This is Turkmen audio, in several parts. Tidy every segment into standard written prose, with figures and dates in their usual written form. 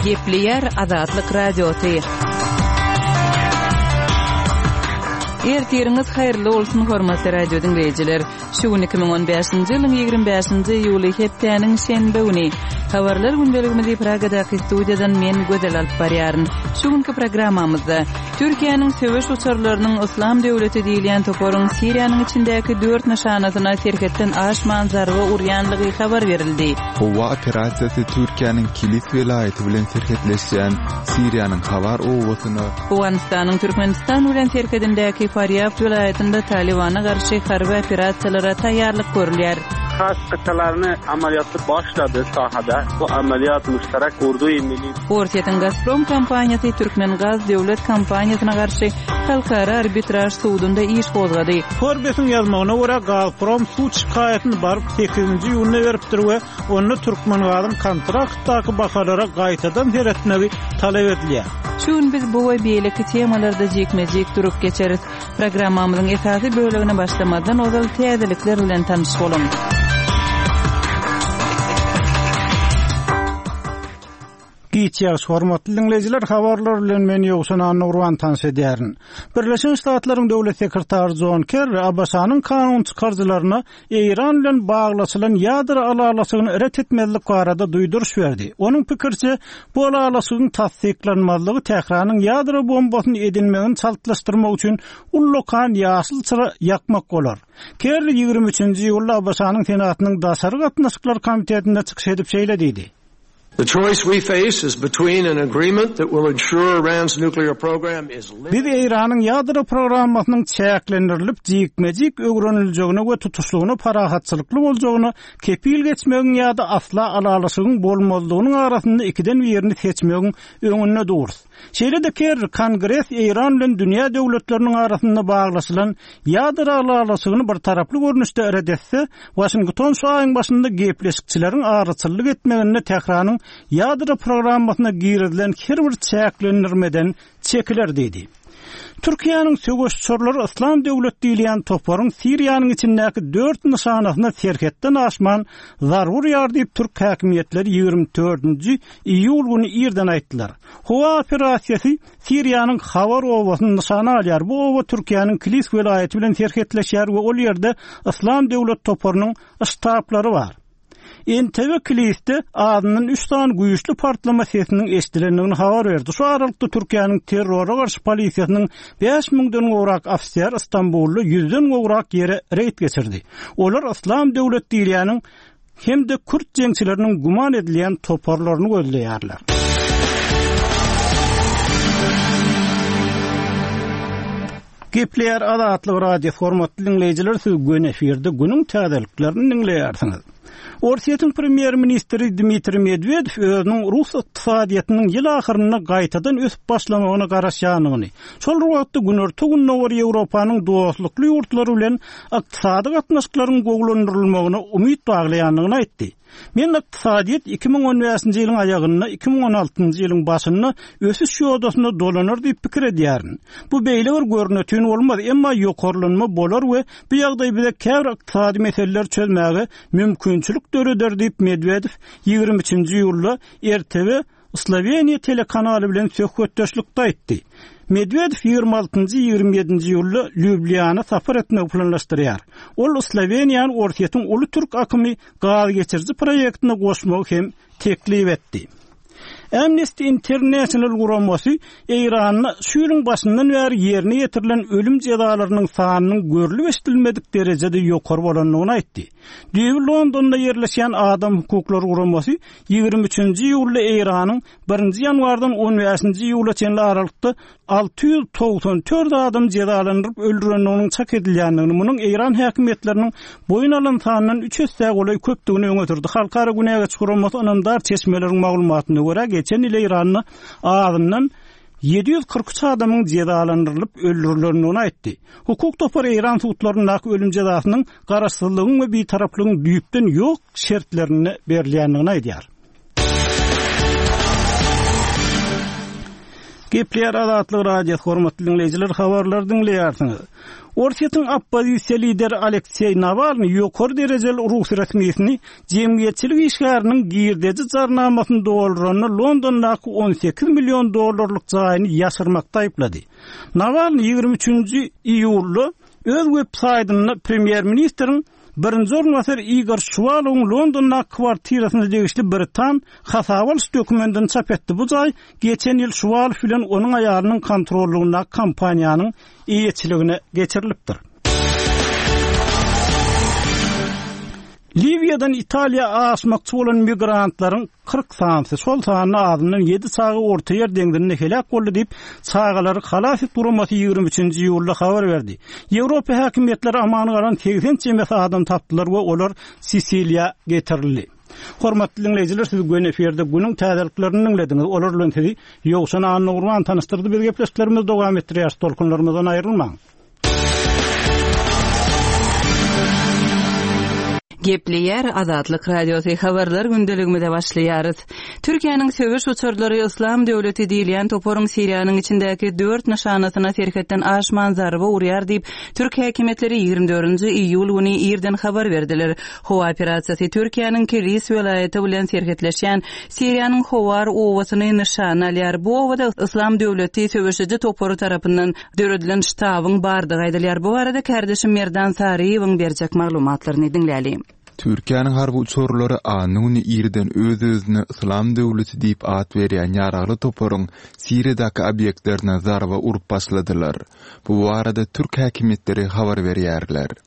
Gepleýär Azatlyk Radiosy. Ertiriňiz haýyrly bolsun, hormatly radio diňleýjiler. Şu gün 2015-nji ýylyň 25-nji iýuly hepdäniň şenbe güni. Habarlar gündeligimizi Pragadaky studiýadan men Gözel alyp barýaryn. Şu günki programmamyzda Türkiýäniň söweş uçarlarynyň Yslam döwleti diýilýän toparyň Siriýanyň içindäki dört nyşanasyna serhetden aşman zarba urýanlygy habar berildi. Howa operasiýasy Türkiýäniň Kilis welaýaty bilen serhetleşýän Siriýanyň Hawar obasyna, Owganystanyň Türkmenistan bilen serhedindäki Farýab welaýatynda Talybana garşy harby operasiýalara taýýarlyk görülýär. Has kytalaryny amalýaty başlady sahada. Bu amalýat muştarak urdu-i milli. Orsýetiň Gazprom kompaniýasy Türkmengaz döwlet kompaniýasyna garşy Halkara arbitraž sudunda iş gozgady. Forbesiň ýazmagyna görä, Gazprom sud şikaýatyny baryp sekizinji iýunda beripdir we onda Türkmengazyň kontraktdaky bahalara gaýtadan seretmegi talap edilýär. Şu gün biz bu we beýleki temalarda jikme-jik durup geçeris. Programmamyzyň esasy bölegine başlamazdan ozal täzelikler bilen tanyş boluň. Giç ýagşy hormatly diňleýjiler habarlar bilen men Ýowşan Annagurban tanyş edýärin. Birleşen Ştatlaryň döwlet sekretary Jon Kerri ABŞ-nyň kanun çykaryjylaryna Eýran bilen baglaşylan ýadro ylalaşygyny ret etmezlik barada duýduryş berdi. Onuň pikiriçe, bu ylalaşygyň tassyklanmazlygy Tähranyň ýadro bombasyny edinmegini çaltlaşdyrmak üçin ullakan ýaşyl çyra ýakmak bolar. Kerri 23-nji iýulda ABŞ-nyň Senatynyň Daşary gatnaşyklar komitetinde çykyş edip şeýle diýdi. The choice we face is between an agreement that will ensure Iran's nuclear program is limited. Biz Eýranyň ýadro programmasynyň çäklendirilip, jikme-jik öwreniljegine we tutuşlygyna parahatçylykly boljagyna kepil geçmegiň ýa-da asla ylalaşygyň bolmazlygynyň arasynda ikiden birini seçmegiň öňünde durus. Şeýle-de Kerri Kongres Eýran bilen dünýä döwletleriniň arasynda baglaşylan ýadro ylalaşygyny birtaraply görnüşde ret etse, Waşington şu aýyň başynda gepleşikçileriň araçyllyk etmeginde Tähranyň ýadro programmasyna girizilen her bir çäklendirmeden çekiler diýdi. Türkiýäniň söweş uçarlary Yslam döwlet diýilýän toparyň Siriýanyň içindäki dört nyşanasyna serhetden aşman zarba urýar diýip türk häkimiýetleri 24-nji iýul güni irden aýtdylar. Howa operasiýasy Siriýanyň Hawar obasyny nyşana alýar. Bu oba Türkiýäniň Kilis welaýaty bilen serhetleşýär we ol ýerde Yslam döwlet toparynyň ştablary bar. NTV Kilisde azyndan üç sany güýçli partlama sesiniň eşidilendigini habar berdi. Şu aralykda Türkiýäniň terrora garşy polisiýasynyň bäş müňden gowrak ofiseri Stambulda ýüzden gowrak ýere reýd geçirdi. Olar Yslam döwlet diýilýäniň hem-de kürt jeňçileriniň güman edilýän toparlaryny gözleýärler. Gepleýär Azatlyk Radiosy hormatly diňleýjiler siz göni efirde günüň täzeliklerini diňleýärsiňiz. Orsýetiň premýer-ministri Dmitriý Medwedew özüniň rus ykdysadyýetiniň ýyl ahyrynda gaýtadan ösüp başlamagyna garaşýandygyny, şol bir wagtda Günorta-Gündogar Ýewropanyň dostlukly ýurtlary bilen ykdysady gatnaşyklaryň gowulandyrylmagyna umyt baglaýandygyny aýtdy. Men ykdysadyýet 2015-nji ýylyň aýagynda, 2016-njy ýylyň başynda ösüş ýodasyna dolanar diýip pikir edýärin. Bu beýle bir görnetin bolmaz, emma ýokarlanma bolar we bu ýagdaý bize käbir ykdysady meseleleri çözmäge mümkinçilik döreder diýip, Medwedew 23-nji iýulda RTW Sloweniýa telekanaly bilen söhbetdeşlikde aýtdy. Medwedew 26-njy, 27-nji iýulda Lýublýana sapar etmegi planlaşdyrýar. Ol Sloweniýany Orsýetiň Uly Türk akymy gaz geçiriji proýektine goşmagy hem teklip etdi. Amnesty International guramasy Eýranda şu ýylyň başyndan bäri ýerine ýetirilen ölüm jezalarynyň sanynyň görlüp-eşidilmedik derejede ýokary bolandygyny aýtdy. Düýbi Londonda ýerleşýän adam hukuklary guramasy 23-nji iýulda Eýranyň birinji ýanwardan on bäşinji iýula çenli aralykda 694 adam jezalandyryp öldürendiginiň çak edilýändigini, munuň eýran häkimiýetleriniň boýun alan sanyndan üç essä golaý köpdügini öňe sürdi. Halkara günä geçiş guramasy ynamdar çeşmeleriň maglumatyna görä, geçen ýyl Eýranda azyndan 743 adamyň jezalandyrylyp öldürilendigini aýtdy. Hukuk topary eýran sudlaryndaky ölüm jezasynyň garaşsyzlygyň we bitaraplygyň düýpden ýok şertlerinde berilýändigini aýdýar. Gepleýär Azatlyk Radiosy, hormatly diňleýjiler, habarlary diňleýärsiňiz. Orsýetiň oppozisiýa lideri Alekseý Nawalnyý ýokary derejeli rus resmisini jemgyýetçilik işgäriniň girdeji jarnamasyny dolduranda Londondaky 18 million dollarlyk jaýyny ýaşyrmakda aýyplady. Nawalnyý 23-nji iýulda öz web saýtynda premýer-ministriň Birinji orunbasar Igor Şuwalowyň Londondaky kwartirasyna degişli britan hasaba alyş dokumentini çap etdi. Bu jaý geçen ýyl Şuwalow bilen onuň aýalynyň kontrollygyndaky kompaniýanyň eýeçiligine geçirilipdir. Liwiýadan Italiýa aşmakçy bolan migrantlaryň 40 sanysy, şol sanda azyndan ýedi çaga Ortaýer deňzinde heläk boldy diýip, Çagalary halas et guramasy 23-nji iýulda habar berdi. Ýewropa häkimiýetleri aman galan 80 çemesi adam tapdylar we olar Sisiliýa getirildi. Hormatly diňleýjiler, siz göni efirde günüň täzeliklerini diňlediňiz. Olar bilen sizi Ýowşan Annagurban tanyşdyrdy. Biz gepleşiklerimizi dowam etdirýäris. Tolkunlarymyzdan aýrylmaň. Gepleýär Azatlyk Radiosy Habarlar gündeligimize başlaýarys. Türkiýäniň söweş uçarlary Yslam döwleti diýilýän toparyň Siriýanyň içindäki dört nyşanasyna serhetden aşman zarba urýar diýip, türk häkimiýetleri 24-nji iýul güni irden habar berdiler. Howa operasiýasy Türkiýäniň Kilis welaýaty bilen serhetleşýän Siriýanyň Howar obasyny nyşana alýar. Bu obada Yslam döwleti söweşiji topary tarapyndan Döredilen ştabyň bardygy aýdylýar. Bu barada kärdeşim Merdan Saryýewiň berjek maglumatlaryny diňläli. Türkiýäniň harby uçarlary anna güni irden öz-özüne Yslam döwleti diýip at berýän ýaragly toparyň Siriýadaky obýektlerine zarba urup başladylar. Bu barada türk häkimiýetleri habar berýärler.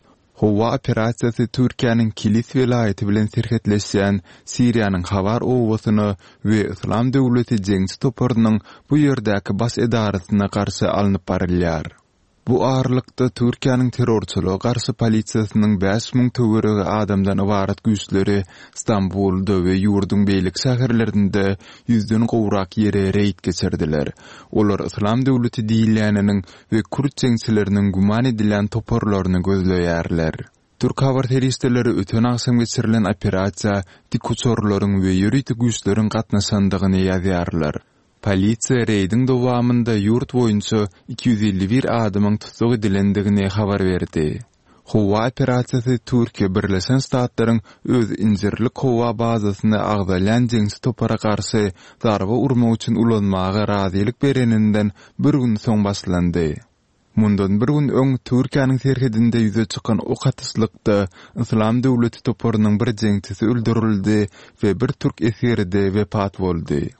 Howa operasiýasy Türkiýäniň Kilis welaýaty bilen serhetleşýän Siriýanyň Hawar obasyna we Yslam döwleti jeňçi toparynyň bu ýerdäki baş edarasyna garşy alnyp barylýar. Bu aralykda, Türkiýäniň terrorçylyga garşy polisiýasynyň 5000 töweregi adamdan ybarat güýçleri Stambulda we ýurduň beýleki şäherlerinde ýüzden gowrak ýere reýd geçirdiler. Olar Yslam döwleti diýilýäniniň we kürt jeňçileriniň güman edilýän toparlaryny gözleýärler. Türk habar serişdeleri öten agşam geçirilen operasiýa dikuçarlaryň we ýörite güýçleriň gatnaşandygyny ýazýarlar. Polisiýa reýdiň dowamynda ýurt boýunça 251 adamyň tussag edilendigini habar berdi. Howa operasiýasy Türkiýe Birleşen Ştatlaryň öz Injirlik howa bazasyny agzalýan jeňçi topara garşy zarba urmak üçin ulanmaga razylyk bereninden bir gün soň başlandy. Mundan bir gün öň Türkiýäniň serhedinde ýüze çykan ok atyşlykda Yslam döwleti toparynyň bir jeňçisi öldürildi we bir türk esgeri-de wepat boldy.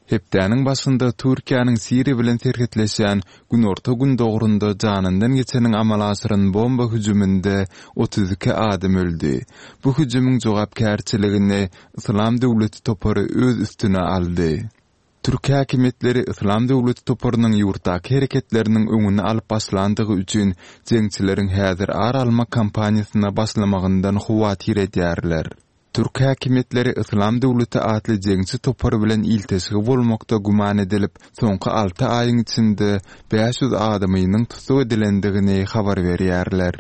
Hepdäniň başynda Türkiýäniň Siriýa bilen serhetleşýän günorta-gündogarynda janyndan geçeniň amala aşyran bomba hüjüminde 32 adam öldi. Bu hüjümiň jogapkärçiligini Yslam döwleti topary öz üstüne aldy. Türk häkimiýetleri Yslam döwleti toparynyň ýurtdaky hereketleriniň öňüni alyp başlandygy üçin jeňçileriň häzir ar almak kampaniýasyna başlamagyndan howatyr edýärler. Türk häkimiýetleri Yslam döwleti atly jeňçi topary bilen ilteşigi bolmakda güman edilip, soňky alty aýyň içinde 500 adamynyň tussag edilendigini habar berýärler.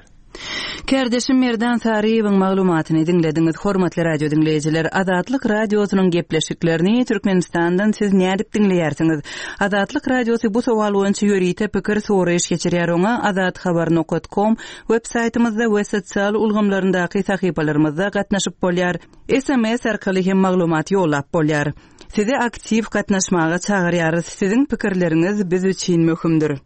Kärdeşim Merdan Saryýewiň maglumatyny diňlediňiz. Hormatly radio diňleýjiler, Azatlyk Radiosynyň gepleşiklerini Türkmenistandan siz nädip diňleýärsiňiz? Azatlyk Radiosy bu sowal boýunça ýörite pikir soraýyş geçirýär. Oňa azathabar nokat kom Web saýtymyzda we sosial ulgamlaryndaky sahypalarymyzda gatnaşyp bolýar. SMS arkaly hem maglumat ýollap bolýar. Sizi aktiw gatnaşmaga çagyrýarys, siziň pikirleriňiz biz üçin möhümdir.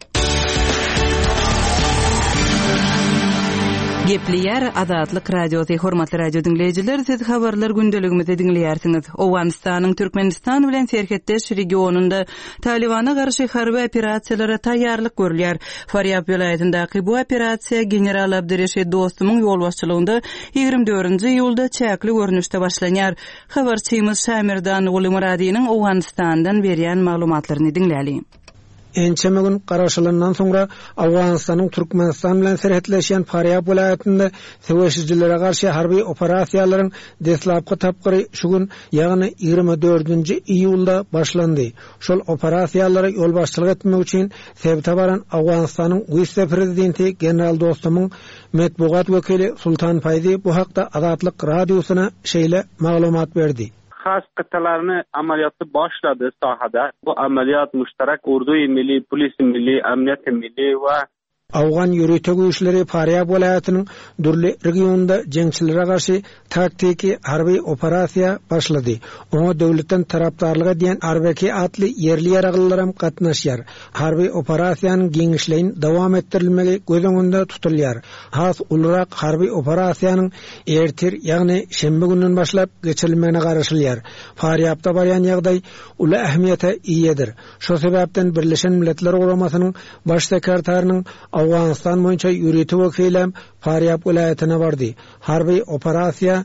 Gepleýär Azatlyk Radiosy, Hormatly radio diňleýjiler, siz habarlar gündeligimizi diňleýärsiňiz. Owganystanyň Türkmenistan bilen serhetdeş regionynda Talybana garşy harby operasiýalara taýýarlyk görülýär. Farýab welaýatyndaky bu operasiýa general Abdyreşit Dostumyň ýolbaşçylygynda 24-nji iýulda çäkli görnüşde başlanýar. Habarçymyz Şamerdan Gulymyradynyň Owganystandan berýän maglumatlaryny diňläliň. Ençeme gün garaşylandan soňra Owganystanyň Türkmenistan bilen serhetleşýän Farýab welaýatynda söweşijilere garşy harby operasiýalaryň deslapky tapgyry şu gün, ýagny 24-nji iýulda başlandy. Şol operasiýalara ýolbaşçylyk etmek üçin sebite baran Owganystanyň wise-prezidenti general Dostumyň metbugat wekili Sultan Faýzi bu hakda Azatlyk Radiosyna şeýle maglumat berdi. Has gytalaryny amalýaty başlady sahada. Bu amalýat muştarak urduýy milli, polisi milli, amniýeti milli we Owgan ýörite güýçleri Farýab welaýatynyň dürli regionynda jeňçilere garşy taktiki harby operasiýa başlady. Oňa döwletden tarapdarlyk edýän Arbeki atly ýerli ýaraglylaram gatnaşýar. Harby operasiýanyň giňişleýin dowam etdirilmegi göz öňünde tutulýar. Has ulurak harby operasiýanyň ertir, ýagny şenbe günden başlap geçirilmegine garaşylýar. Farýabda barýan ýagdaý uly ähmiýete eýedir. Şo sebäpden Birleşen Milletler Guramasynyň Baş sekretarynyň Owganystan boýunça ýörite wekilem Farýab welaýatyna bardy. Harby operasiýa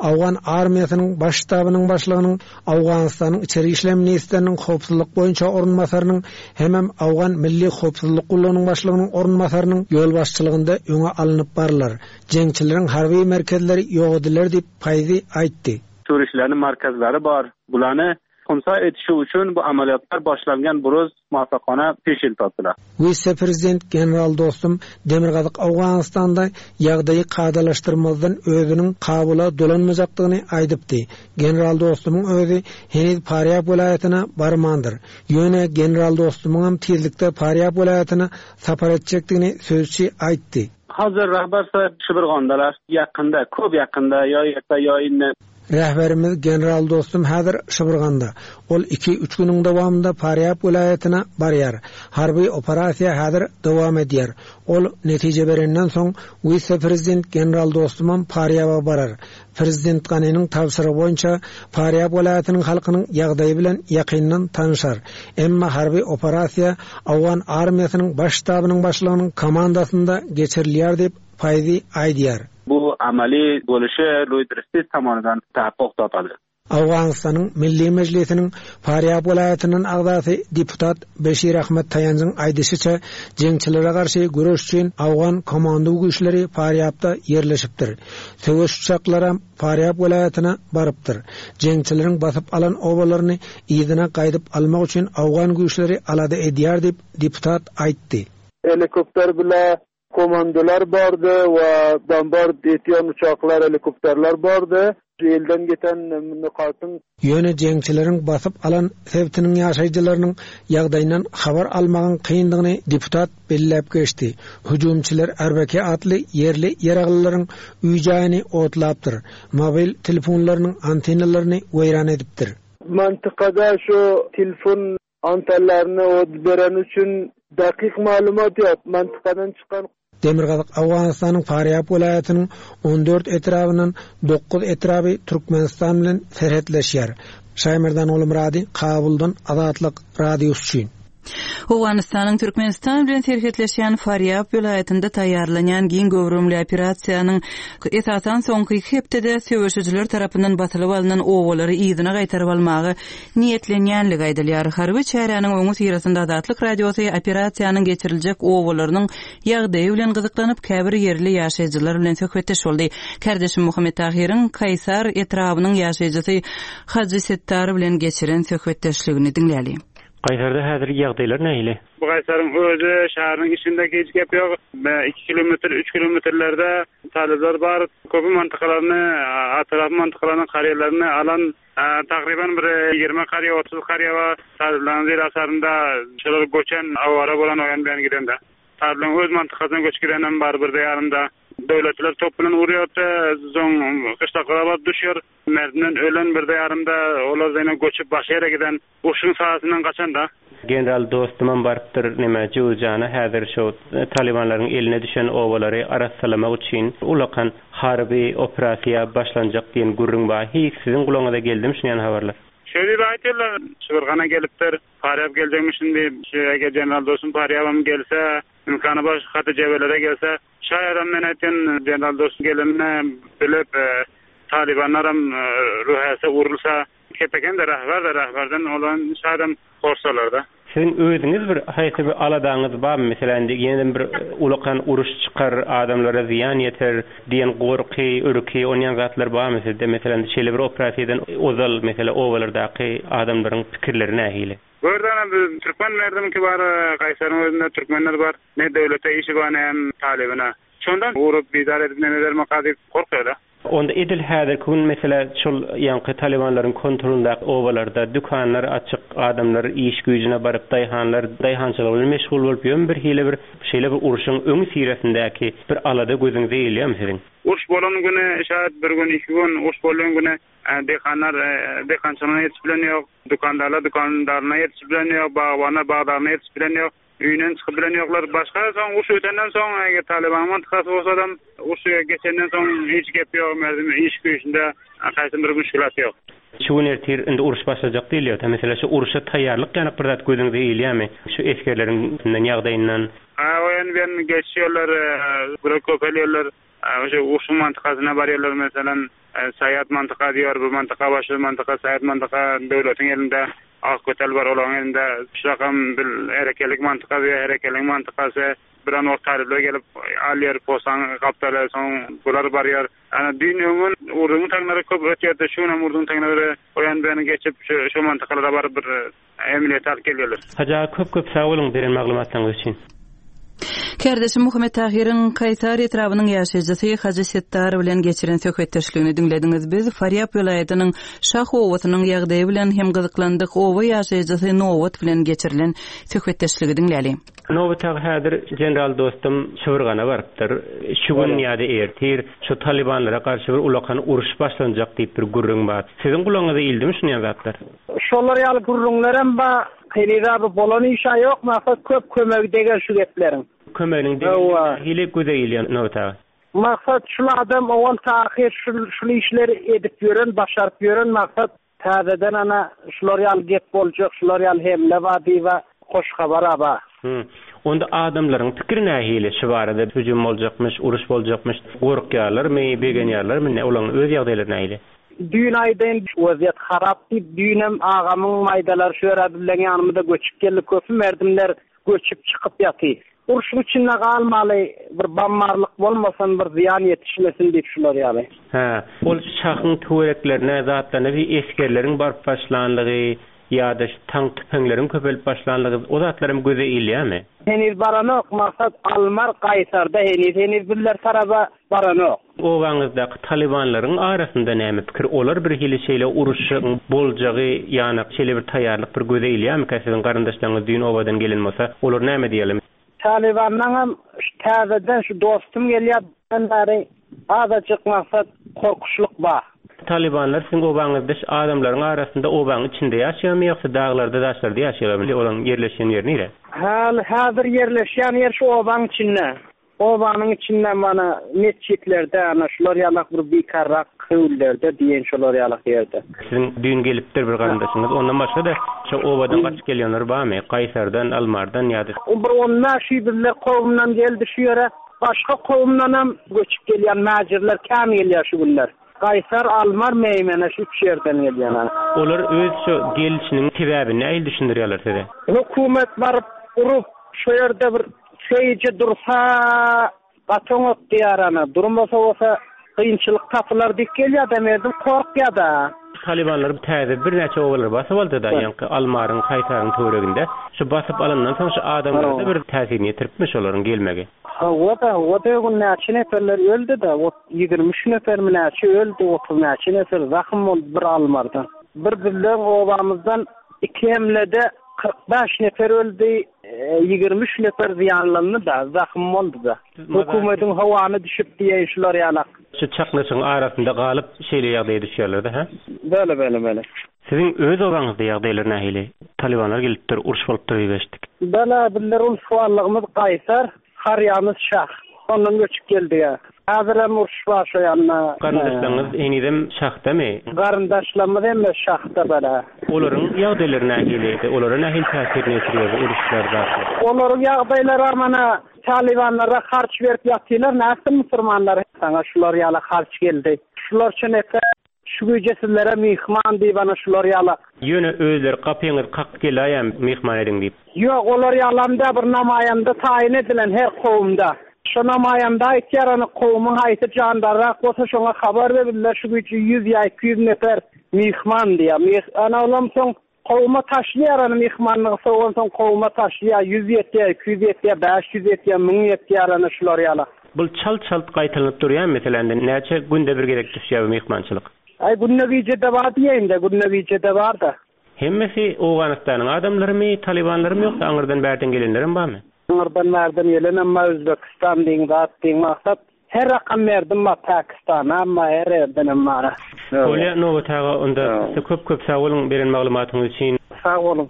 Owgan armiýasynyň Baş ştabynyň başlygynyň, Owganystanyň içeri işler ministriniň howpsuzlyk boýunça orunbasarynyň hemem Owgan milli howpsuzlyk gullugynyň başlygynyň orunbasarynyň ýolbaşçylygynda öňe alnyp barylar. Jeňçileriň harby merkezleri ýok ediler diýip, Paýzi aýtdy. Turistlerniň markazlary bar. Bulany Hunsa etişi üçin bu amalýatlar başlangan buruz muwaffakana peşel tapdylar. Wise-prezident general Dostum Demirgazyk Owganystanda ýagdaýy kadalaşdyrmazdan özüniň Kabula dolanmajakdygyny aýdypdy. General Dostumyň özi heniz Farýab welaýatyna barmandyr. Ýöne general Dostumyňam tizlikde Farýab welaýatyna sapar etjekdigini sözçi aýtdy. Hazir rahbar sahib Şibirgandalar. Ýakynda, köp ýakynda, ýa erte, ýa indi. Rehberimiz general Dostum häzir Şybyrganda. Ol iki-üç günüň dowamynda Farýab welaýatyna barýar. Harby operasiýa häzir dowam edýär. Ol netije berenden soň, wise-prezident general Dostumam Farýaba barar. Prezident Ganiniň tabşyrygy boýunça Farýab welaýatynyň halkynyň ýagdaýy bilen ýakyndan tanyşar. Emma harby operasiýa owgan armiýasynyň baş ştabynyň başlygynyň komandasynda geçirilýär diýip, Faýzi aýdýar. Bu amaly boluşy Lloýd Restiz tomonidan tahakkuk tapady. Owganystanyň Milli Mejlisiniň Farýab welaýatyndan agzasy deputat Beşir Ahmet Taýanjyň aýdyşyça, jeňçilere garşy göreş üçin owgan komando güýçleri Farýabda ýerleşipdir. Söweş uçaklaram Farýab welaýatyna barypdyr. Jeňçileriň basyp alan obalaryny yzyna gaýdyp almak üçin owgan güýçleri alada edýär diýip, deputat aýtdy. Helikopter bile Komandolar bardy we bombard etýän uçaklar, helikopterler bardy. Elden giten nykatyň. Ýöne jeňçileriň basyp alan sebitiniň ýaşaýjylarynyň ýagdaýyndan habar almagyň kyndygyny deputat belläp geçdi. Hüjümçiler Arbeke atly ýerli ýaraglylaryň öý-jaýyny otlapdyr, mobil telefonlarynyň antennalaryny weýran edipdir. Mantykada şu telefon Antenlerini ot bereni üçin dakyk maglumat ýok. Mantykadan çykan. Demirgazyk Owganystanyň Farýab welaýatynyň 14 etrabyndan dokuz etraby Türkmenistan bilen serhetleşýär. Şaýmerdan Gulmyrady, Kabuldan Azatlyk Radiosy üçin. Owganystanyň Türkmenistan bilen serhetleşýän Farýab welaýatynda taýýarlanýan giň göwrümli operasiýanyň esasan soňky iki hepdede söweşijiler tarapyndan basylyp alnan obalary yzyna gaýtaryp almaga niýetlenýänligi aýdylýar. Harby çäräniň öňüsyrasynda Azatlyk Radiosy operasiýanyň geçiriljek obalarynyň ýagdaýy bilen gyzyklanyp, käbir ýerli ýaşaýjylar bilen söhbetdeş boldy. Kärdeşim Muhammet Tahyryň Kaýsar etrabynyň ýaşaýjysy Hajy Setdar bilen geçiren söhbetdeşligini diňläli. Kaýsarda häzir ýagdaýlar nähili? Bu Kaýsaryň özi şäheriniň içinde hiç gep ýok. Iki kilometr, üç kilometrlerde talyplar bar. Köpi mantykalaryny, atrapy mantykalaryny, karýerlerini alan Takryban bir 20 karýa, 30 karýa bar. Talyplaryň zir asarynda şolar göçen, awara bolan o ýan bu ýan gidende. Talyplaryň öz mantykasyna göçüp gidenem bar birde ýarymda. Döwletliler top bilen urýardy, soň gyşlaklara baryp düşýär. Merdinden ölen birde ýarymda, olar ýene göçüp başga ýere giden. Urşuň saýasyndan gaçan-da. General Dostumam barypdyr neme Jöwüzjana häzir şo talybanlaryň eline düşen obalary arassalamak üçin ulakan harby operasiýa başlanjak diýen gürrüň bar hiý siziň gulagyňyza geldimi şunýan habarlar. Şeý diýip aýtýarlar, Şybyrgana gelipdir, Farýap geljekmişin diýip, şu eger general Dostum Farýabam gelse, imkany bar şu haty jebelere gelse, şaýadam men aýtýan general Dostum gelenini bilip, talybanlaram ruhäse urulsa, Kepekende rahbar-da rahbardan olan şadam horsalarda. Siziň özüňiz bir haýsy bir aladaňyz barmy meselem indi ýeneden bir ulakan uruş çykar adamlara zyýan ýeter diýen gorky ürki onýan zatlar barmy sizde meselem şeýle bir operasiýadan ozal mesele obalardaky adamlaryň pikirleri nähili? Gördana biz türkmen merdimki bar gaýsaryň özünde türkmenler bar ne döwlete işi bar ne hem talybyna şondan urup bizar edip neme bermeka diýip gorkýada. Onda edil häzirki gün meselä şol ýaňky talybanlaryň kontrolyndaky obalarda dükanlar açyk, adamlar iş güýjüne baryp daýhanlar daýhançylyk bilen meşgul bolup ýörmi birhili bir şeýle bir urşuň öňüsyrasyndaky bir alada gözüňize ilýärmi siziň? Uruş bolan güni şaýat bir gün iki gün uruş bolýan güni daýhanlar daýhançylygyna ýetişip bilen ýok, dükandarlar dükandaryna ýetişip bilen ýok, bagbanlar bagdaryna ýetişip bilen ýok. Öýünden çykyp bilen ýoklar. Başga soň uruş ötenden soň eger Talybanyň mantykasy bolsadam uruş geçenden soň hiç gep ýok merdim iş güýçünde haýsy bir müşgülat ýok. Şu gün ertir indi uruş başlajak diýilýär. Meselem şu uruşa taýýarlyk ýanak bir zat gözüňize ilýärmi? Şu esgerleriň ýagdaýyndan. Ha o ýan bu ýan geçýärler, bir köpelýärler. Şu urşuň mantykasyna barýarlar meselem Saýat mantyka diýýär bu mantyka başga mantyka Saýat mantyka döwletiň elinde Akkötel bar olaryň elinde şurakam bil herekelik mantyka diýýär herekeliň mantykasy biran wagt talyplar gelip alýar postaň gapdaly soň bular barýar ana düýn öňňün urduň taňlary köp ötýärdi şu günem urduň taňlary o ýan bu ýana geçip şu şu mantykalara baryp bir Emniýete alyp gelýärler. Hajy aga köp köp sag boluň beren maglumatlaryňyz üçin. Kärdeşim Muhammet Tahyryň Kaýsar etrabynyň ýaşaýjysy Hajy Setdar bilen geçiren söhbetdeşligini diňlediňiz. Biz Farýap welaýatynyň Şah obasynyň ýagdaýy bilen hem gyzyklandyk. Oba ýaşaýjysy Nobat bilen geçirilen söhbetdeşligi diňläliň. Nobat aga häzir general dostum Şybyrgana barypdyr. Şu gün ýa-da ertir şu talybanlara garşy bir ulakan uruş başlanjak diýip bir gürrüň bar. Siziň gulagyňyza ildimi şunýan zatlar? Şolar ýaly gürrüňlerem bar. Heniz-ä bu bolan iş-ä ýok, maksat köp kömegi deger şu gepleriň. Kömeginiň degenligi nähili göze ilýär Nobat aga? Maksat şul adam owal tahyr şul şul işleri edip ýören, başaryp ýören maksat täzeden ana şular ýaly gep boljak, şular ýaly hemle bar diýibä hoş habar-a bar. Hü. Onda adamlaryň pikiri nähili şu barada hüjüm boljakmyş, uruş boljakmyş, gorkýarlarmy, begenýärlermi, olaryň öz ýagdaýlary nähili? Düýn aýdaýyn wezýet harap diýip düýnem agamyň maýdalary şu ýere bizleň ýanymyza göçüp geldi köpi merdimler göçüp çykyp ýaty. Urşuň içinde galmaly bir bammarlyk bolmasyn bir zyýan ýetişmesin diýip şular ýaly. Hä, ol şahyň töwereklerine zatlaryna bir esgerleriň baryp başlanlygy ýa-da şu tank tüpeňleriň köpelip başlanlygy o zatlaram göze ilýärmi? Heniz baranok maksat almar gaýsarda heniz heniz bizler taraba baranok. Obaňyzdaky talybanlaryň arasynda näme pikir olar birhili şeýle uruşyň boljagy ýanak şeýle bir taýýarlyk bir göze ilýärmikä siziň garyndaşlaryňyz düýn obadan gelen bolsa olar näme diýerler. Talybanlaňam şu täzeden şu dostum gelýär diýenden bäri azajyk maksat korkuşlyk bar. Talybanlar siziň obaňyzda şu adamlaryň arasynda obaň içinde ýaşaýarmy ýogsa daglarda daşlarda ýaşaýarlarmy olaryň ýerleşýän ýeri nire? Häli häzir ýerleşýän ýer şu obaň içinde. Obanyň içinde mana metjitlerde ana şular ýalak bir bikarrak höwlülerde diýen şolar ýalak ýerde. Siziň düýn gelipdir bir garyndaşyňyz ondan başga-da şo obadan gaçyp gelýänler barmy? Gaýsardan, Almardan ýa-da. Bir 15 öý bizler kowumdan geldi şu ýere. Başga kowumdanam göçüp gelýän mäjirler kän gelýär şu günler. Gaýsar, Almar, Meýmene şu üç ýerden gelýän ana. Olar öz şo gelişiniň sebäbini nähili düşündirýärler size? Hökümet baryp urup şo ýerde bir Şeýje dursa gaty oňat diýýär ana, durmasa bolsa kynçylyk tapylar diýip gelýär-de merdim korkýar-da. Talybanlar täze birnäçe obalary basyp aldy-da, ýaňky Almaryň, Kaýsaryň töwereginde. Şu basyp alandan soň şu adamlara-da bir täsirini ýetiripmi şolaryň gelmegi? Hawa-da, hawa-da öň näçe neperler öldi-de, 23 nepermi näçe öldi, 30 näçe neper zahym boldy bir Almardan. Bir bizleň obamyzdan iki hemlede 45 neper öldi, 23 nefer zyýanlandy-da, zahym boldy-da. Hökümetiň howany düşüp diýeýin şular ýalak. Şu çaknyşygyň arasynda galyp şeýle ýagdaýa düşýärler-de, hä? Bele, bele, bele. Siziň öz obaňyzda ýagdaýlar nähili? Talybanlar gelipdir, uruş bolupdyr diýip eşitdik. Bele, bizler ulus-wallygymyz Gaýsar. Harýamyz şah. Ondan göçüp geldik-ä. Häzirem uruş bar şo ýanda. Garyndaşlaryňyz henizem şahdamy? Garyndaşlarymyz hemme şahda bar-a. Olaryň ýagdaýlary nähili? Olara nähili täsirini ýetirýär bu uruşlar, zatlar? Olaryň ýagdaýlaram ana, talybanlara harç berip ýatylar, nätsin musurmanlar? Saňa şular ýaly harç geldi. Şularça nefer Şu gije sizlere myhman diýip ana şular ýala. Ýöne özleri gapyňyzy kakyp geläýem myhman ediň diýip. Ýok olar ýalam dä bir namaýanda taýyn edilen her kowumda. Şo namaýanda aýtýar ana kowumyň haýsy jandarrak bolsa şoňa habar ber bizler şu gije ýüz ýa 200 nefer myhman diýýär. Ana olam soň Kowuma taşlaýar ony myhmanlygy sowansoň kowuma taşlaýar, ýüz ýetýär, 200 ýetýär, 500 ýetýär, 1000 ýetýär ana şular ýala. Bul çalt-çalt gaýtalanyp durýarmy meselem indi näçe günde bir gezek düşýär bu myhmançylyk? Aý günde gije-de bar diýeýin-de, günde gije-de bar-da. Hemmesi Owganystanyň adamlarymy, talybanlarymy ýogsa aňyrdan bärden gelenlerem barmy? Aňyrdan bärden gelenem bar, Özbekistan diýiň, zat diýiň, maksat her rakam berdim bar, Pakistanam bar, her ýerdenem bar. Bolýa Nobat aga onda size köp köp sag boluň beren maglumatyňyz üçin. Sag boluň.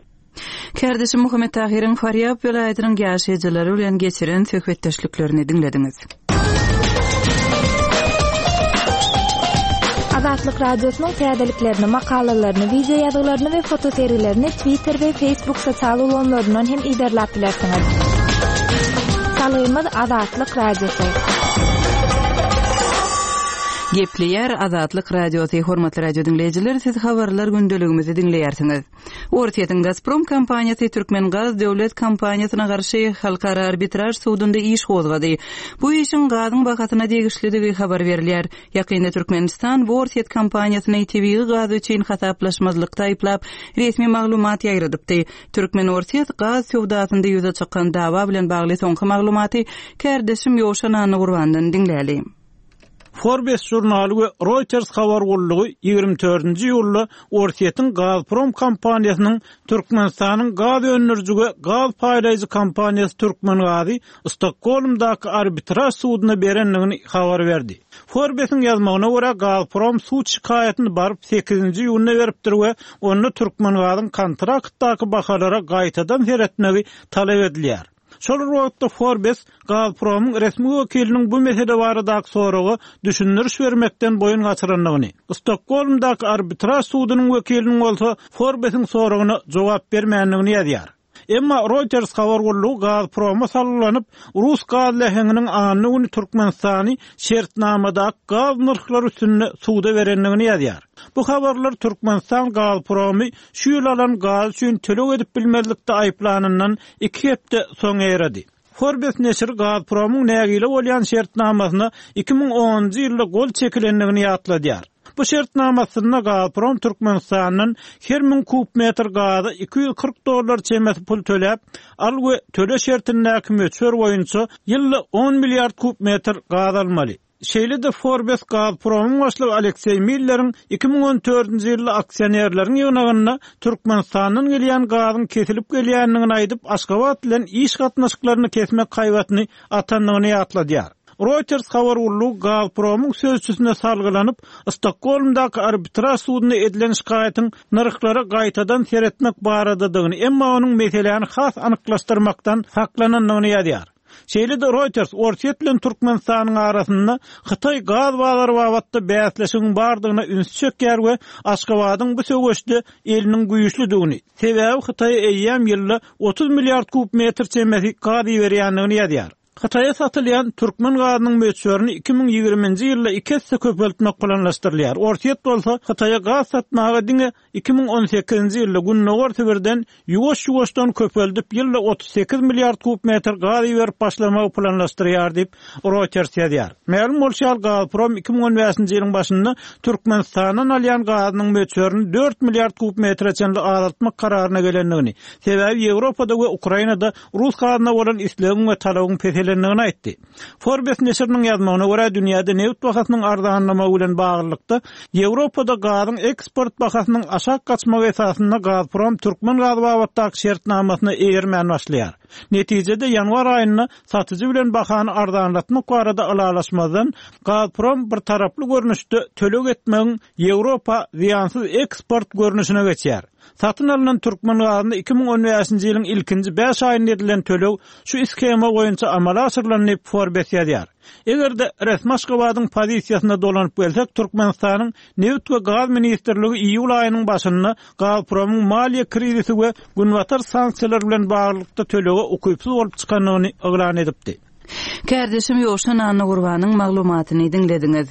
Kärdeşim Muhammet Tahyryň Farýab welaýatynyň ýaşaýjylary bilen geçiren söhbetdeşliklerini diňlediňiz. Azatlyk Radiosynyň täzeliklerini, makalalaryny, wideo ýazgylaryny we fotosergilerini Twitter we Facebook sosial ulgamlaryndan hem yzarlap bilersiňiz. Salgymyz Azatlyk Radiosy. Gepleýär Azatlyk Radiosy, hormatly radio diňleýjiler, siz habarlar gündeligimizi diňleýärsiňiz. Orsýetiň Gazprom kompaniýasy Türkmengaz döwlet kompaniýasyna garşy Halkara arbitraž sudunda iş gozgady. Bu işiň gazyň bahasyna degişlidigi habar berilýär. Ýakynda Türkmenistan bu orsýet kompaniýasyny tebigy gaz üçin hasaplaşmazlykda aýyplap, resmi maglumat ýaýradypdy. Türkmen-orsýet gaz söwdasynda ýüze çykan dawa bilen bagly soňky maglumaty kärdeşim Ýowşan Annagurbandan diňläli. Forbes žurnaly we Reuters habar gullugy 24-nji iýulda Orsýetiň Gazprom kompaniýasynyň Türkmenistanyň gaz öndüriji we gaz paýlaýjy kompaniýasy Türkmengazy Stokgolmdaky arbitraž suduna berendigini habar berdi. Forbesiň ýazmagyna görä, Gazprom sud şikaýatyny baryp sekizinji iýunda beripdir we onda Türkmengazyň kontraktdaky bahalara gaýtadan seretmegi talap edilýär. Şol bir wagtda Forbes Gazpromyň resmi wekiliniň bu mesele baradaky soraga düşündiriş bermekden boýun gaçyrandygyny, Stokgolmdaky arbitraž sudunyň wekiliniň bolsa Forbesiň soragyna jogap bermändigini ýazýar. Emma Reuters habar gullugy Gazproma salgylanyp, rus gaz läheňiniň anna güni Türkmenistany şertnamadaky gaz nyrhlary üstünde suda berendigini ýazýar. Bu habarlar Türkmenistan Gazpromy şu ýyl alan gazy üçin töleg edip bilmezlikde aýyplanyndan iki hepde soň ýaýrady. Forbes neşiri Gazpromyň nägile bolýan şertnamasyna 2010-njy ýylda gol çekilendigini ýatladýar. Bu şertnama astynda Gazprom Türkmenistandan her müň kub metr gaza 240 dollar çemesi pul töläp, al we töle şertindäki möçber boýunça ýylda on milliard kub metr gaz almaly. Şeýle-de Forbes Gazpromyň başlygy Alekseý Milleriň 2014-nji ýylda aksionerleriň ýygnagynda Türkmenistandan gelýän gazyň kesilip gelýändigini aýdyp, Aşgabat bilen iş gatnaşyklaryny kesmek haýbatyny atandygyny ýatladýar. Reuters habar gullugy Gazpromyň sözçüsine salgylanyp, Stokgolmdaky arbitraž sudunda edilen şikaýatyň nyrhlara gaýtadan seretmek baradadygyny, emma onuň meseläni has anyklaşdyrmakdan saklanandygyny ýazýar. Şeýle-de Reuters Orsýet bilen Türkmenistanyň arasynda Hytaý gaz bazary babatda bäsleşigiň bardygyna ünsi çekýär we Aşgabadyň bu söweşde eliniň güýçlüdigini, sebäbi Hytaýa eýýäm ýylda 30 milliard kub metr çemesi gaz iberýändigini ýazýar. Hytaýa satylýan türkmen gazynyň möçberini 2020-nji ýylda iki esse köpeltmek planlaşdyrylýar. Orsýet bolsa Hytaýa gaz satmaga diňe 2018-nji ýylda Gündogar Sibirden ýuwaş-ýuwaşdan köpeldip, ýylda 38 milliard kub metr gaz iberip başlamagy planlaşdyrýar diýip, Reuters ýazýar. Mälim bolşy ýaly, Gazprom 2015-nji ýylyň başynda Türkmenistandan alýan gazynyň möçberini dört milliard kub metre çenli azaltmak kararyna gelendigini, sebäbi Ýewropada we Ukrainada rus gazyna bolan islegiň we talabyň peselendigini aýtdy. Forbes neşiriniň ýazmagyna görä, dünýäde nebit bahasynyň arzanlamagy bilen baglylykda, Ýewropada gazyň eksport bahasynyň aşak gaçmagy esasynda Gazprom türkmen gazy babatdaky şertnamasyna eýermän başlaýar. Netijede, ýanwar aýynda satyjy bilen bahany arzanlatmak barada ylalaşmazdan, Gazprom birtaraply görnüşde töleg etmegiň Ýewropa zyýansyz eksport görnüşine geçýär. Satyn alnan türkmen gazyna 2015-nji ýylyň ilkinji bäş aýynda edilen töleg şu shema boýunça amala aşyrylan diýip, Forbes ýazýar. Eger-de resmi Aşgabadyň pozisiýasyna dolanyp gelsek, Türkmenistanyň Nebit we gaz ministrligi iýul aýynyň başynda Gazpromyň maliýe krizisi we Günbatar sanksiýalary bilen baglylykda tölege ukypsyz bolup çykandygyny yglan edipdi. Kärdeşim Ýowşan Annagurbanyň maglumatyny diňlediňiz.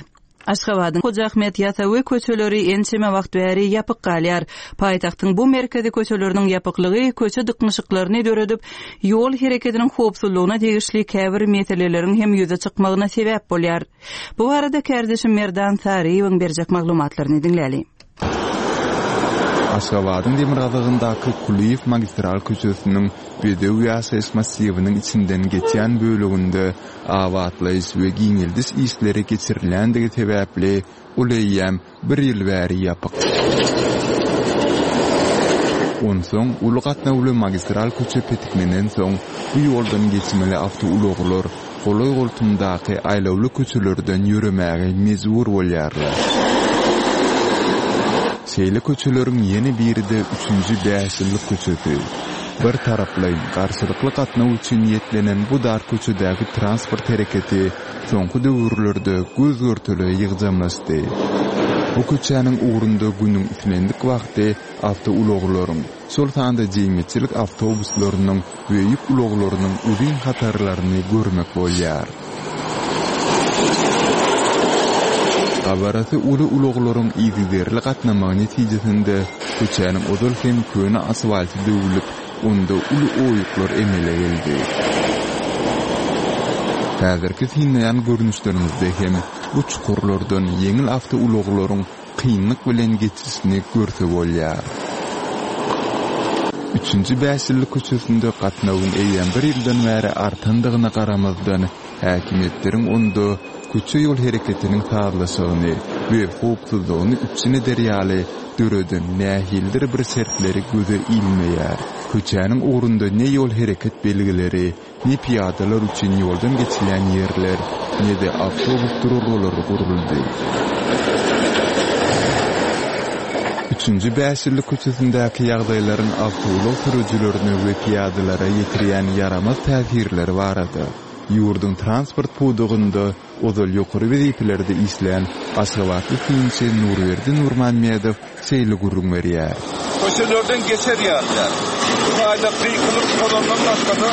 Aşgabadyň Hoja Ahmet Ýasawy köçeleri ençeme wagt bäri ýapyk galýar. Paýtagtyň bu merkezi köçeleriniň ýapyklygy köçe dyknyşyklaryny döredip, ýol hereketiniň howpsuzlygyna degişli käbir meseleleriň hem ýüze çykmagyna sebäp bolýar. Bu barada kärdeşim Merdan Saryýewiň berjek maglumatlaryny diňläli. Aşgabadyň demirgazygyndaky Kulyýew magistral köçesiniň. Bedew ýaşaýyş massiwiniň içinden geçýän böleginde abatlaýyş we giňeldiş işleri geçirilýändigi sebäpli ol eýýäm bir ýyl bäri ýapyk. Onsoň uly gatnawly magistral köçe petiklenensoň, bu ýoldan geçmeli awtoulaglar golaý-goltumdaky aýlawly köçelerden ýöremäge mejbur bolýarlar. Şeýle köçeleriň ýene biri-de Üçünji bäşýyllyk köçesi. Bir taraplaýyn, garşylykly gatnaw üçin niýetlenen bu dar köçedäki transport hereketi soňky döwürlerde göz-görtele ýygjamlaşdy. Bu köçäniň ugrunda günüň islendik wagty awtoulaglaryň, şol sanda jemgyýetçilik awtobuslarynyň we ýük ulaglarynyň uzyn hatarlaryny görmek bolýar. Gabarasy uly ulaglaryň yzygiderli gatnamagy netijesinde köçäniň ozal hem köne asfalty döwlüp, onda uly oýuklar emele geldi. Häzirki synlaýan görnüşleriňizde hem bu çukurlardan ýeňil awtoulaglaryň kynlyk bilen geçişini görse bolýar. Üçünji bäşýyllyk köçesinde gatnawyň eýýäm bir ýyldan bäri artandygyna garamazdan, häkimiýetleriň onda köçe-ýol hereketiniň sazlaşygyny we howpsuzlygyny üpjün eder ýaly döreden nähilidir bir şertleri göze ilmeýär. Köçäniň ugrunda ne ýol hereket belgileri, ne pyýadalar üçin ýoldan geçilýän ýerler, ne-de awtobus duralgalary guruldy. Üçünji bäşýyllyk köçesindäki ýagdaýlaryň awtoulag sürüjilerine we pyýadalara ýetirýän ýaramaz täsirleri barada ýurduň transport pudagynda ozal ýokary wezipelerde işlän aşgabatly synçy Nurberdi Nurmammedow şeýle gürrüň berýär. Köçelerden geçer ýaly däl. Bu taýda gykylyk tozandan başga-da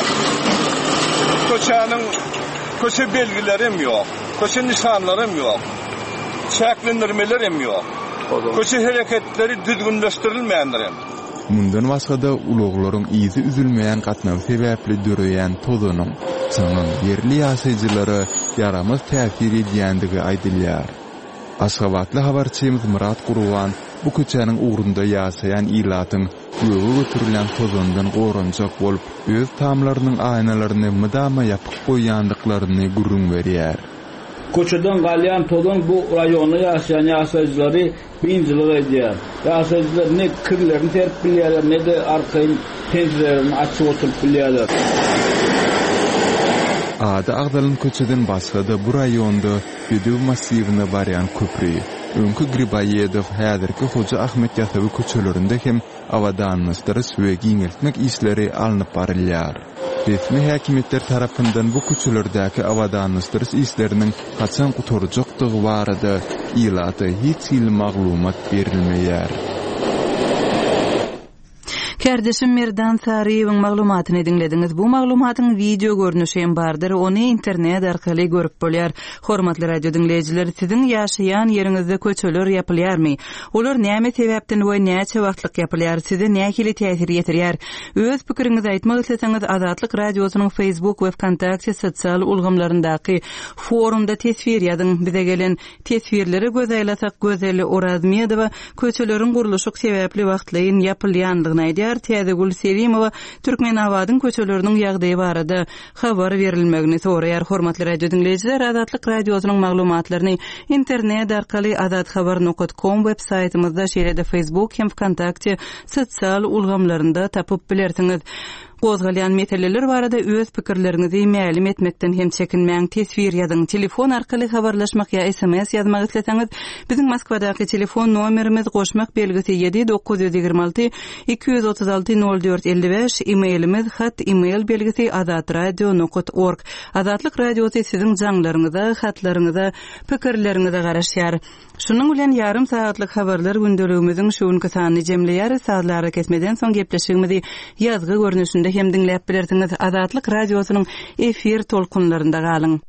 köçäniň köçe belgileri hem ýok, köçe nyşanlary hem ýok, çäklendirmeler hem ýok. Köçe hereketleri düzgünleşdirilmändir hem. Mundan başga-da, ulaglaryň yzy üzülmeýän gatnawy sebäpli döreýän tozanyň, çaňyň ýerli ýaşaýjylara ýaramaz täsir edýändigi aýdylýar. Aşgabatly habarçymyz Myrat Gurban bu köçäniň ugrunda ýaşaýan ilatyň göge göterilýän tozandan goranjak bolup, öz tamlarynyň aýnalaryny mydama ýapyk goýýandyklaryny gürrüň berýär. Köçeden galýan tozan bu raýonda ýaşaýan ýaşaýjylary biynjalyk edýär. Ýaşaýjylar ne kirlerini serip bilýärler, ne-de arkaýyn penjirelerini açyp oturyp bilýärler. Ady agzalan köçeden başga-da bu raýonda Bedew massiwine barýan köpri, öňki Griboýedow, häzirki Hoja Ahmet Ýasawy köçelerinde hem abadanlaşdyryş we giňeltmek işleri alnyp barylýar. Resmi häkimiýetler tarapyndan bu köçelerdäki abadanlaşdyryş işleriniň haçan gutarjakdygy barada ilata hiç hili maglumat berilmeýär. Kärdeşim Merdan Saryýewiň maglumatyny diňlediňiz. Bu maglumatyň wideo görnüşi hem bardyr, ony internet arkaly görüp bolýar. Hormatly radio diňleýjiler, siziň ýaşaýan ýeriňizde köçeler ýapylýarmy? Olar näme sebäpden we näçe wagtlyk ýapylýar, size nähili täsir ýetirýär? Öz pikiriňizi aýtmak isleseňiz, Azatlyk Radiosynyň Facebook we Wkontakte sosial ulgamlaryndaky forumda teswir ýazyň. Bize gelen Teswirlere göz aýlasak, Gözel Orazmedowa köçeleriň gurluşyk sebäpli wagtlaýyn ýapylýandygyny aýdýar, Täzegül Selimowa Türkmenabadyň köçeleriniň ýagdaýy barada habar berilmegini soraýar. Hormatly radio diňleýjiler, Azatlyk Radiosynyň maglumatlaryny internet arkaly azathabar nokat kom web saýtymyzda, şeýle-de Facebook hem Wkontakte sosial ulgamlarynda tapyp bilersiňiz. Gozgalýan meseleler barada öz pikirleriňizi mälim etmekden hem çekinmäň, teswir ýazyň. Telefon arkaly habarlaşmak ýa sms ýazmak isleseňiz, biziň Moskwadaky telefon nomerimiz goşmak belgisi ýedi 926 236 04 55, e-mailimiz hat email belgisi azatradio nokat org. Azatlyk Radiosy siziň jaňlaryňyza, hatlaryňyza, pikirleriňize garaşýar. Şunuň bilen ýarym sagatlyk habarlar gündeligimiziň şu günki sanyny jemleýäris. Sazly arakesmeden soň gepleşigimizi ýazgy görnüşinde hem diňläp bilersiňiz. Azatlyk Radiosynyň efir tolkunlarynda galyň.